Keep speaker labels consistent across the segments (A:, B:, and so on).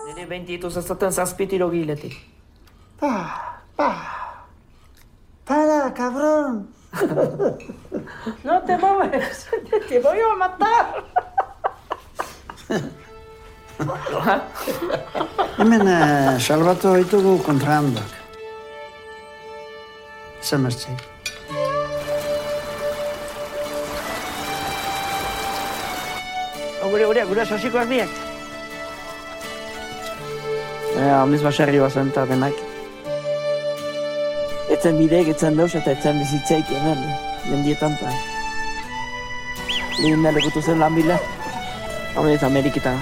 A: Nire 20 ezaten 7 tiro giletik.
B: Para, cabrón.
A: No te mueves, te voy a matar.
B: Hemen salbatu ditugu kontrabandoak. Zemertzi.
A: Gure sosikoak biak. Aldiz baserri bazen eta denak. Etzen bideek, etzen dauz eta etzen bizitzeik hemen, mendietan eta. Lehen lekutu zen lan bila. Hau ez Ameriketan.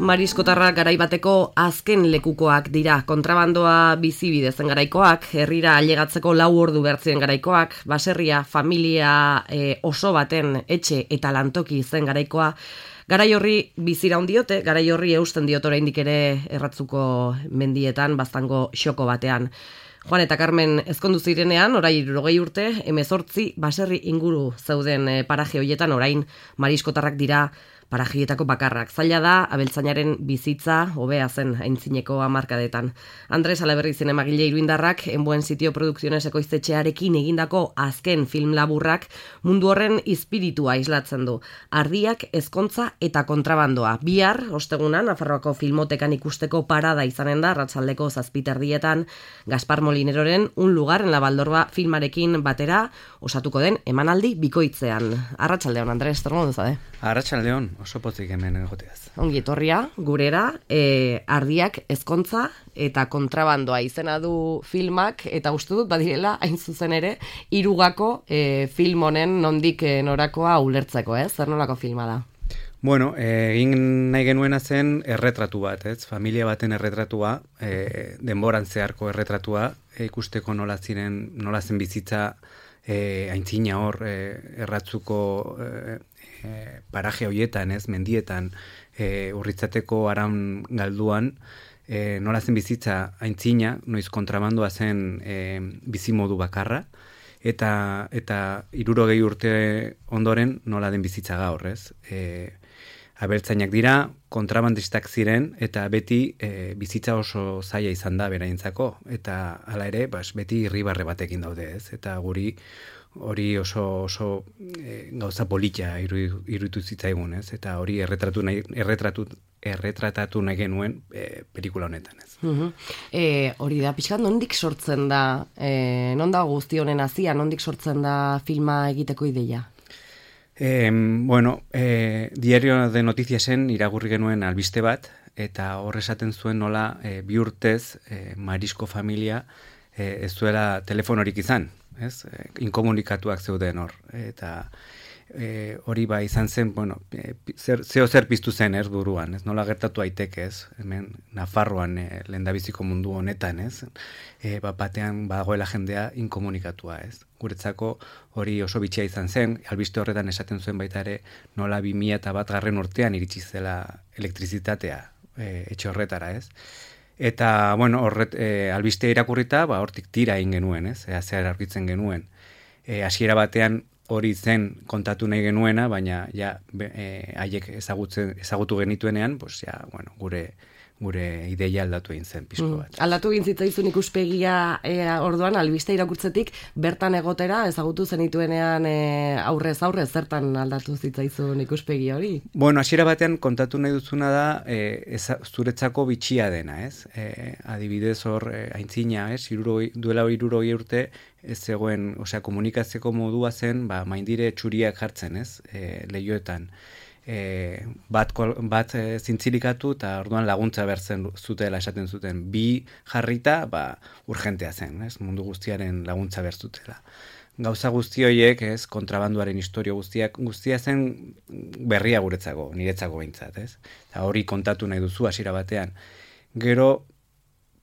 C: Mariskotarrak garaibateko azken lekukoak dira, kontrabandoa bizibidezen garaikoak, herrira ailegatzeko 4 ordu bertzien garaikoak, baserria, familia oso baten etxe eta lantoki zen garaikoa, garai horri bizira diote, garai horri eusten diot oraindik ere erratzuko mendietan, baztango xoko batean. Juan eta Carmen ezkondu zirenean, orain 60 urte, 18 baserri inguru zeuden paraje hoietan orain mariskotarrak dira parajietako bakarrak. Zaila da, abeltzainaren bizitza hobea zen aintzineko hamarkadetan. Andres Alaberri zinemagile iruindarrak, En Buen Sitio Produkziones ekoiztetxearekin egindako azken film laburrak mundu horren izpiritua islatzen du. Ardiak, ezkontza eta kontrabandoa. Bihar, ostegunan, Nafarroako filmotekan ikusteko parada izanen da, arratsaldeko 7:00 Gaspar Molineroren Un lugar en la Baldorba filmarekin batera osatuko den emanaldi bikoitzean. Arratsaldeon, Andres, zer modu zade?
D: Arratsaldeon, oso pozik hemen egoteaz.
C: Ongi etorria, gurera, ardiak, ezkontza eta kontrabandoa izena du filmak, eta uste dut badirela, hain zuzen ere, Irugako film honen nondik norakoa ulertzeko, zer nolako filma da?
D: Bueno, egin nahi genuena zen erretratu bat, familia baten erretratua, denboran zeharko erretratua, ikusteko nola zen bizitza aintzina hor, erratzuko paraje hoietan, mendietan, urritzateko aran galduan, nola zen bizitza aintzina, noiz kontrabandoa zen bizimodu bakarra, eta 60 urte ondoren nola den bizitza gaur, Abeltzainak dira, kontrabandistak ziren, eta beti bizitza oso zaila izan da beraintzako, eta hala ere, beti irribarre batekin daude, eta guri hori oso gauza polita iruditu zitzaigun, eta hori erretratatu nahi genuen pelikula honetan,
C: Hori da, pixkat, nondik sortzen da, non da guzti honen hazia, nondik sortzen da filma egiteko ideia?
D: Diario de Noticiasen irakurri genuen albiste bat, eta hor esaten zuen nola 2 urtez marisko familia ez zuela telefonorik izan, inkomunikatuak zeuden hor, eta hori izan zen, zer piztu zen buruan, nola gertatu aiteke, hemen Nafarroan lehendabiziko mundu honetan, batean bagoela jendea inkomunikatua, Guretzako hori oso bitxia izan zen, albiste horretan esaten zuen baita ere, nola 2001 urtean iritsi zela elektrizitatea etxe horretara, Eta, albiste irakurrita, hortik tira egin genuen, zer aurkitzen genuen. Hasiera batean hori zen kontatu nahi genuena, baina haiek ezagutu genituenean, gure ideia aldatu egin zen pixko bat.
C: Aldatu egin zitzaizun ikuspegia orduan, albiste irakurtzetik, bertan egotera, ezagutu zenituenean aurrez zertan aldatu zitzaizun ikuspegi hori?
D: Hasiera batean kontatu nahi duzuna da zuretzako bitxia dena, adibidez hor aintzina, duela 60 urte, ez zegoen, komunikatzeko modua zen, maindire txuriak jartzen, lehioetan. Bat zintzilikatu eta orduan laguntza bertzen zutela esaten zuten. 2 jarrita, urgentea zen, mundu guztiaren laguntza bertzutela. Gauza guzti horiek, kontrabanduaren historio guztia zen berria guretzako, niretzako behintzat, Eta hori kontatu nahi duzu hasiera batean. Gero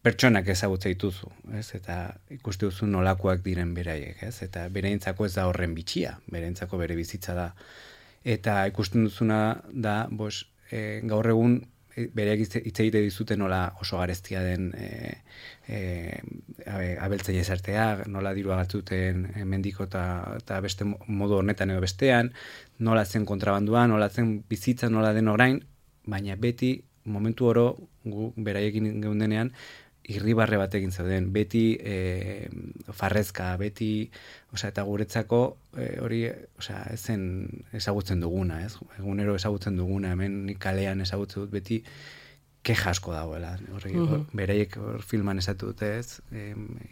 D: pertsonak ezagutza dituzu, eta ikuste duzu nolakoak diren beraiek, eta bereintzako ez da horren bitxia, bereintzako bere bizitza da. Eta ikusten duzuna da, gaur egun bereak hitz egite dizute nola oso gareztia den abeltzaile esartea, nola dirua gatzuten mendiko eta beste modu honetan edo bestean, nola zen kontrabanduan, nola zen bizitza, nola den orain, baina beti momentu oro gu beraiekin geundenean irribarre batekin zauden, beti farrezka, beti, eta guretzako hori, ezen ezagutzen duguna, ez? Egunero ezagutzen duguna, hemen nik kalean ezagutzen dut beti keja asko dagoela. Beraiek filman esatu dute, ez?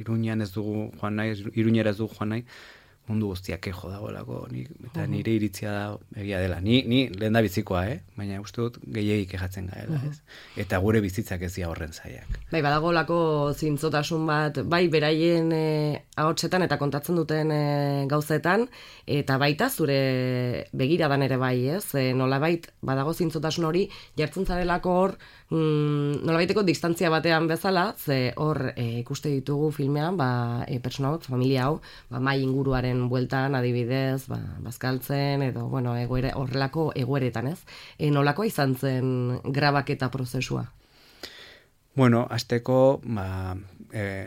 D: Iruñean ez dugu joan nahi, Iruñera ez dugu joan nahi, mundu guztiak kejo dagoelako, eta nire iritzia da egia dela. Ni lehen da bizikoa, baina uste dut gehiegi kejatzen gaela, ez? Eta gure bizitzak ez dira horren zaiak.
C: Bai, badagolako zintzotasun bat, bai, beraien ahotsetan eta kontatzen duten gauzetan, eta baita zure begiradan ere bai, ez? Nolabait, badago zintzotasun hori, jartzen zarelako hor, nolabaiteko distantzia batean bezala, ze hor ikuste ditugu filmean, persona hau, familia hau, mai inguruaren bueltan, adibidez, bazkaltzen, edo, horrelako egoeretan, ez? Nolako izan zen grabaketa prozesua?
D: Bueno, azteko,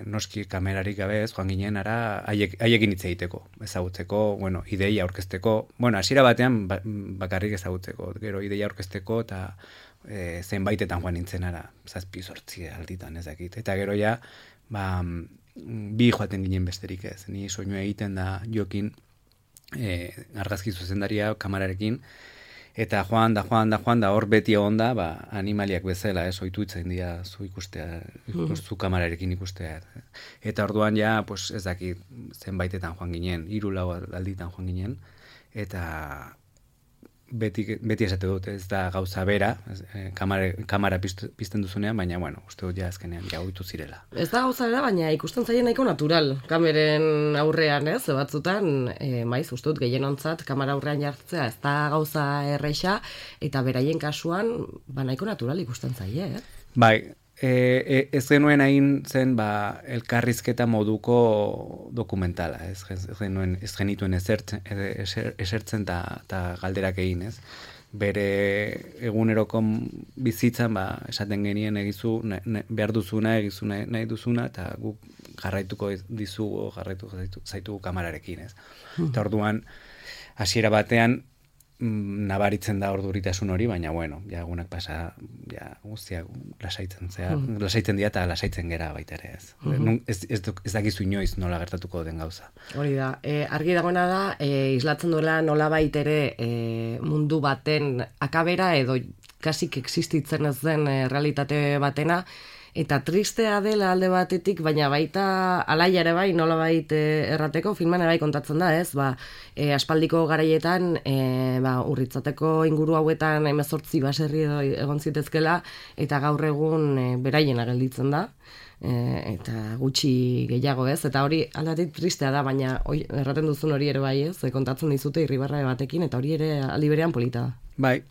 D: noski kamerarik gabe ez, joan ginen ara, haiekin hitz egiteko, ezagutzeko, ideia aurkezteko, hasiera batean bakarrik ezagutzeko, gero ideia aurkezteko, eta zenbaitetan joan nintzen ara, 7-8 alditan ezakit, eta gero ja, bi joaten ginen besterik ez, ni soinu egiten da Jokin argazki zuzendaria kamerarekin, eta joan da, hor beti egon da, animaliak bezala, ohitu itzen dira zu ikustea, zu kamerarekin ikustea. Eta orduan ja, ez dakit zenbaitetan joan ginen, 3-4 alditan joan ginen, eta beti esate dut, ez da gauza bera, kamera pizten duzunean, baina, uste dut ja azkenean ohitu zirela.
C: Ez da gauza bera, baina ikusten zaien nahiko natural, kameren aurrean, ez, batzutan, maiz, uste dut gehienontzat, kamera aurrean jartzea, ez da gauza erreixa, eta beraien kasuan, nahiko natural ikusten zaie, ez? Bai,
D: ez genuen hain zen elkarrizketa moduko dokumentala, ez genituen esertzen eta galderak egin, ez? Bere eguneroko bizitzan esaten genien egizu behar duzuna, egizu nahi duzuna, eta guk jarraituko dizugu, jarraituko zaitugu kamerarekin, ez? Eta orduan, hasiera batean, nabaritzen da orduritasun hori, baina ja egunak pasa, guztiak lasaitzen dira eta lasaitzen gera baita ere, ez. Ez dakizu inoiz nola gertatuko den gauza.
C: Hori da, argi dagoena da, islatzen duela nolabait ere mundu baten akabera edo kasik existitzen ez den realitate batena, eta tristea dela alde batetik, baina baita alaia ere bai, nolabait errateko, filman ere bai kontatzen da, ez? Aspaldiko garaietan, urritzateko inguru hauetan 18 baserri egon zitezkela, eta gaur egun beraiena gelditzen da, eta gutxi gehiago, ez? Eta hori aldatik tristea da, baina erraten duzun hori ere bai, ez? Kontatzen dizute irribarre batekin, eta hori ere aldi berean polita da.
D: Bai.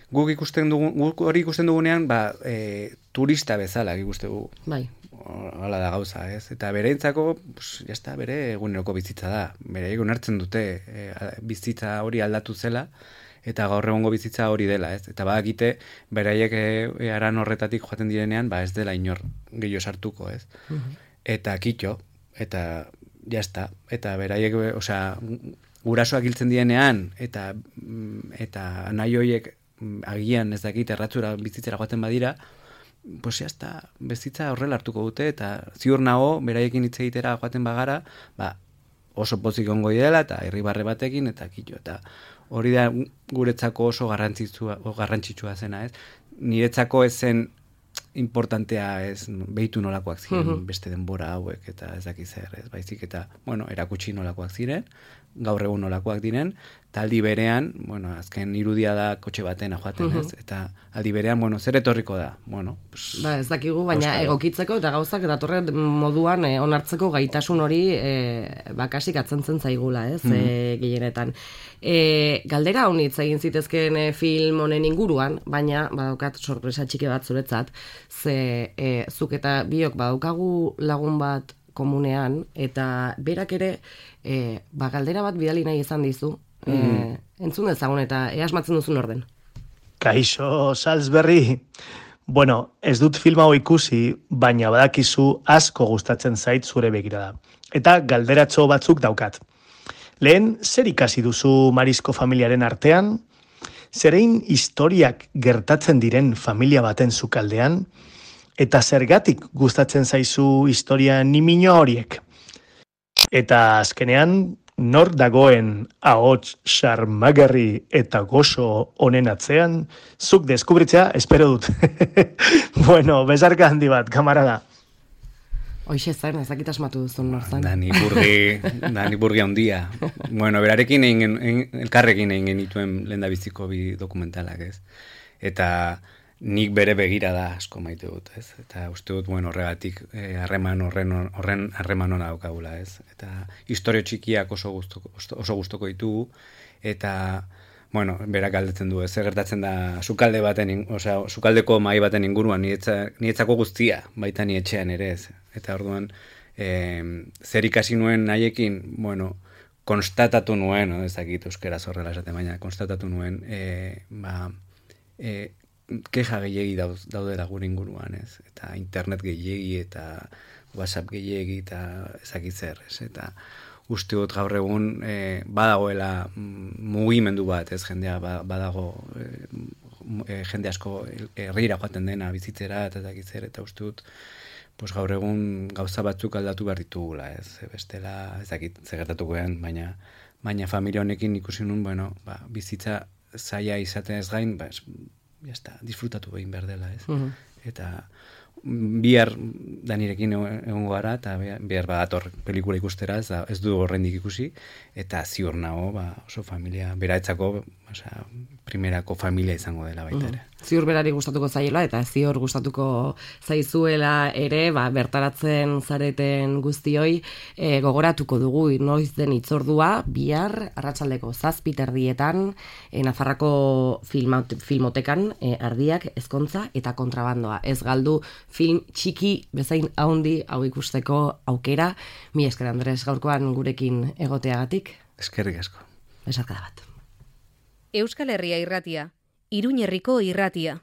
D: Guk hori ikusten dugunean, turista bezala ikusten dugu.
C: Bai.
D: Hala da gauza, ez? Eta bereintzako, jazta, bere eguneroko bizitza da. Bere egun hartzen dute bizitza hori aldatu zela, eta gaur egongo bizitza hori dela, ez? Eta badakite, beraiek aran horretatik joaten direnean, ez dela inor gehiago sartuko, ez? Eta kitxo, eta jazta, eta beraiek, gurasoak hiltzen direnean, eta nahi horiek agian ez dakit erratzura bizitzera joaten badira, jazta, bizitza horrela hartuko dute, eta ziur nago, beraiekin hitz egitera joaten bagara, oso pozik ongo direla, eta irribarre batekin, eta kitxo, eta hori da guretzako oso garrantzitsua zena, ez? Niretzako ez zen importantea, ez, behitu nolakoak ziren beste denbora hauek, eta ez dakiz zer, ez, baizik, eta, erakutsi nolakoak ziren, gaur egun nolakoak diren, eta aldi berean, azken irudia da kotxe baten joaten, ez, eta aldi berean, zer etorriko da,
C: ez dakigu, baina egokitzeko eta gauzak datorren moduan onartzeko gaitasun hori bakasik atzentzen zaigula, ez, gehienetan. Galdera honitz egin zitezkeen film honen inguruan, baina badaukat sorpresa txiki bat zuretzat, ze zuk eta biok badaukagu lagun bat komunean, eta berak ere galdera bat bidali nahi izan dizu, entzun dezagun eta asmatzen duzun orden.
E: Kaixo, Salzberri. Bueno, ez dut filma hau ikusi, baina badakizu asko gustatzen zait zure begirada. Eta galderatxo batzuk daukat. Lehen, zer ikasi duzu Marisko familiaren artean? Zerein historiak gertatzen diren familia baten sukaldean? Eta zergatik gustatzen zaizu historia nimino horiek? Eta azkenean, nor dagoen ahots xarmagarri eta goxo honen atzean, zuk deskubritzea espero dut. Bueno, besarka handi bat, kamarada.
C: Hoixe zen, ezakit asmatu duzun norzan.
D: Dani Burgi handia. Bueno, berarekin elkarrekin egin genituen lehendabiziko bi dokumentalak, ez? Eta nik bere begira da asko maite dut, ez? Eta uste dut, bueno, horregatik horren harreman hona daukagula, ez? Eta historio txikiak oso gustoko ditugu, eta, bueno, berak galdetzen du, ez gertatzen da sukalde baten, sukaldeko mahai baten inguruan, nietzako guztia, baita ni etxean ere, ez? Eta orduan, zer ikasi nuen haiekin, bueno, konstatatu nuen, ez dakit euskeraz horrela esaten, baina konstatatu nuen, keja gehiegi daudela gure inguruan, ez? Eta internet gehiegi, eta WhatsApp gehiegi, eta ezakit zer, ez? Eta uste dut gaur egun badagoela mugimendu bat, ez? Jendea badago, jende asko herrira joaten dena bizitzera, eta ezakit zer, eta uste dut pues gaur egun gauza batzuk aldatu behar ditugula, ez? Bestela, ezakit zegertatuko den, baina familia honekin ikusi nun, bueno, bizitza zaila izaten ez gain, disfrutatu egin behar dela, ez? Eta bihar Danirekin egongo gara, eta bihar badator pelikula ikustera, ez du horrendik ikusi, eta ziur nago, oso familia, beraetzako, primerako familia izango dela baita ere.
C: Ziur berari gustatuko zaiela, eta ziur gustatuko zaizuela ere, bertaratzen zareten guztioi, gogoratuko dugu noiz den itzordua, bihar, arratsaldeko 7:00 Nafarrako filmotekan, Ardiak, Ezkontza eta Kontrabandoa. Ez galdu film txiki bezain haundi hau ikusteko aukera. Mila esker, Andres, gaurkoan gurekin egoteagatik.
D: Eskerrik asko.
C: Besarkada bat.
F: Euskal Herria irratia, Iruñerriko irratia.